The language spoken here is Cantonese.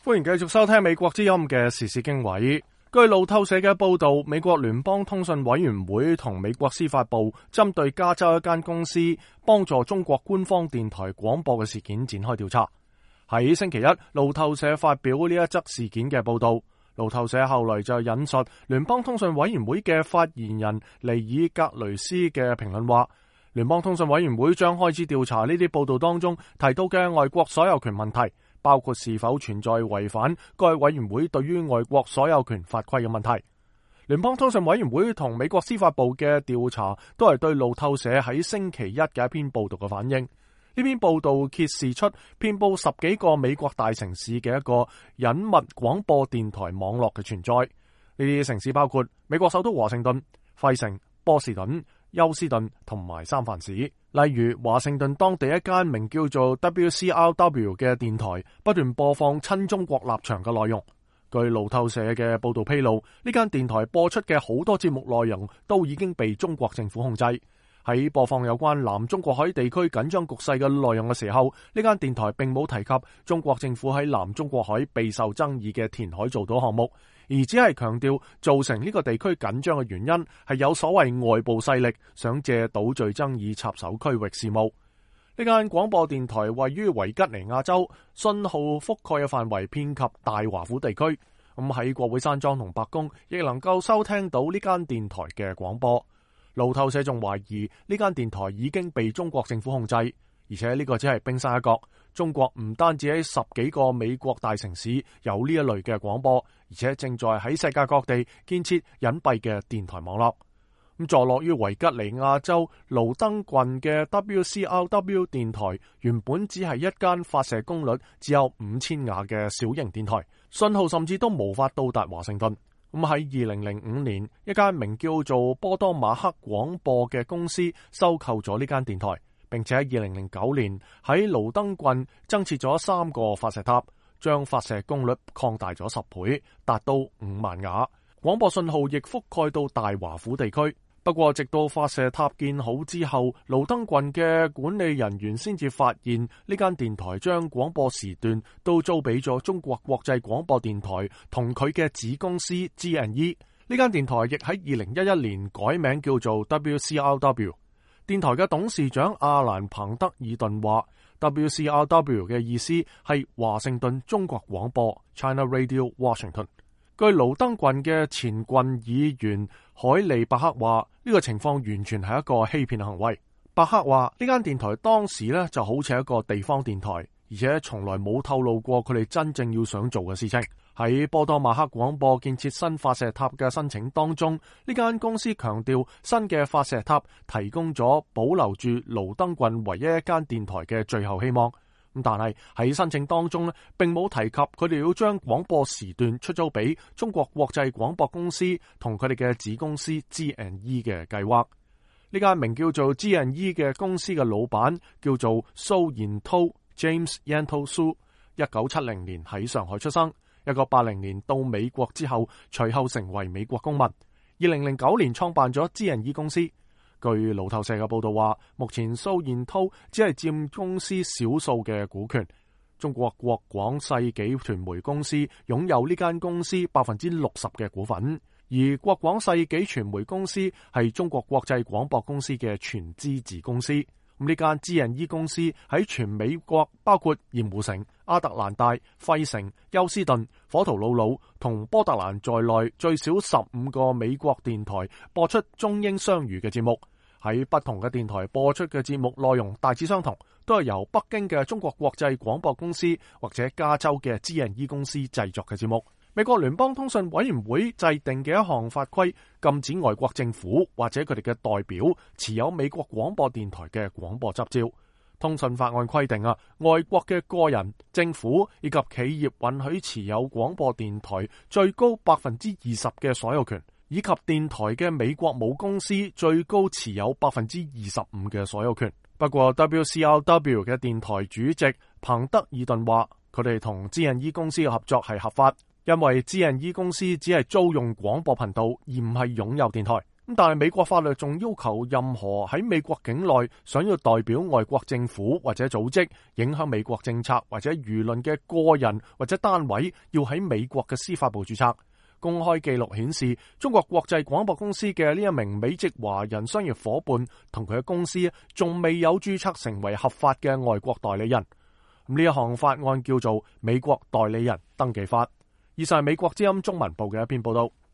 歡迎繼續收聽美國之音嘅時事經緯。據路透社嘅報道，美國聯邦通訊委員會同美國司法部針對加州一間公司幫助中國官方電台廣播嘅事件展開調查。喺星期一，路透社發表呢一則事件嘅報道。路透社後來就引述聯邦通訊委員會嘅發言人尼爾格雷斯嘅評論話，聯邦通訊委員會將開始調查呢啲報道當中提到嘅外國所有權問題，包括是否存在違反該委員會對於外國所有權法規嘅問題。聯邦通訊委員會同美國司法部嘅調查都係對路透社喺星期一嘅一篇報道嘅反應。呢篇報道揭示出遍佈10幾個美國大城市嘅一個隱密廣播電台網絡嘅存在。呢啲城市包括美國首都華盛頓、費城、波士頓、休斯頓同埋三藩市。例如華盛頓當地一間名叫做 WCRW 嘅電台不斷播放親中國立場嘅內容。據路透社嘅報道披露，呢間電台播出嘅好多節目內容都已經被中國政府控制。喺播放有關南中國海地區緊張局勢嘅內容嘅時候，呢間電台並冇提及中國政府喺南中國海備受爭議嘅填海造島項目，而只係強調造成呢個地區緊張嘅原因係有所謂外部勢力想借島嶼爭議插手區域事務。呢間廣播電台位於維吉尼亞州，信號覆蓋嘅範圍遍及大華府地區。咁喺國會山莊同白宮亦能夠收聽到呢間電台嘅廣播。路透社仲懷疑呢間電台已經被中國政府控制，而且呢個只係冰山一角。中國唔單止喺10幾個美國大城市有呢一類嘅廣播，而且正在喺世界各地建設隱蔽嘅電台網絡。咁坐落於維吉尼亞州盧登郡嘅 WCRW 電台原本只係一間發射功率只有5000瓦嘅小型電台，信號甚至都無法到達華盛頓。咁喺2005年，一間名叫做波多馬克廣播嘅公司收購咗呢間電台，並且喺2009年喺盧登郡增設咗3個發射塔，將發射功率擴大咗10倍，達到5萬瓦。廣播信號亦覆蓋到大華府地區。不過，直到發射塔建好之後，盧登郡嘅管理人員先至發現呢間電台將廣播時段都租俾咗中國國際廣播電台同佢嘅子公司 GNE。呢間電台亦喺2011年改名叫做 WCRW。電台嘅董事長阿蘭彭德爾頓話 ，WCRW 嘅意思係華盛頓中國廣播 China Radio Washington。據盧登郡嘅前郡議員海利伯克話，呢個情況完全係一個欺騙行為。伯克話呢間電台當時呢就好似一個地方電台，而且從來冇透露過佢哋真正要想做嘅事情。喺波多馬克廣播建設新發射塔嘅申請當中，呢間公司強調新嘅發射塔提供咗保留住盧登郡唯一一間電台嘅最後希望。但係喺申請當中並冇提及佢哋要將廣播時段出租俾中國國際廣播公司同佢哋嘅子公司 GNE 嘅計劃。呢間名叫做 GNE 嘅公司嘅老闆叫做蘇延濤 James Yantou Su， 1970年喺上海出生，1980年到美國之後，隨後成為美國公民。2009年創辦咗 GNE 公司。據路透社嘅報道話，目前蘇燕濤只係佔公司少數嘅股權。中國國廣世紀傳媒公司擁有呢間公司60%嘅股份，而國廣世紀傳媒公司係中國國際廣播公司嘅全資子公司。咁呢間 GNE 公司喺全美國包括鹽湖城、亞特蘭大、費城、休斯頓、火圖魯魯同波特蘭在內最少15個美國電台播出中英雙語嘅節目。喺不同嘅電台播出嘅節目內容大致相同，都係由北京嘅中國國際廣播公司或者加州嘅 GNE 公司製作嘅節目。美國聯邦通訊委員會制定嘅一項法規，禁止外國政府或者佢哋嘅代表持有美國廣播電台嘅廣播執照。通訊法案規定外國嘅個人、政府以及企業允許持有廣播電台最高20%嘅所有權，以及電台嘅美國母公司最高持有25%嘅所有權。不過 WCRW 嘅電台主席彭德爾頓話，佢哋同 GNE 公司嘅合作係合法。因為 GNE 公司只係租用廣播頻道，而唔係擁有電台。但係美國法律仲要求任何喺美國境內想要代表外國政府或者組織影響美國政策或者輿論嘅個人或者單位，要喺美國嘅司法部註冊。公開記錄顯示，中國國際廣播公司嘅呢一名美籍華人商業夥伴同佢嘅公司仲未有註冊成為合法嘅外國代理人。呢一項法案叫做《美國代理人登記法》。以上係美國之音中文部嘅一篇報道。